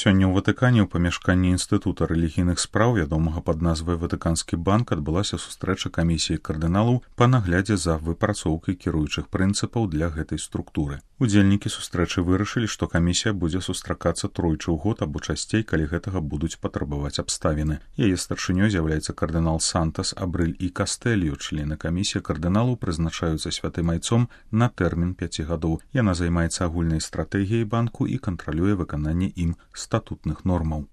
Сёння ў Ватыкане ў памяшканні Інстытута рэлігійных спраў, вядомага пад назвай Ватыканскі банк, адбылася сустрэча камісіі кардыналаў па наглядзе за выпрацоўкай кіруючых прынцыпаў для гэтай структуры. Удзельнікі сустрэчы вырашылі, што камісія будзе сустракацца тройчы ў год або часцей, калі гэтага будуць патрабаваць абставіны. Яе старшынёй з'яўляецца кардынал Сантас, Абрыль і Кастэлью. Члены камісіі кардыналаў прызначаюцца святым айцом на тэрмін 5 гадоў. Яна займаецца агульнай стратэгіяй банку і кантралюе выкананне ім статутных нормаў.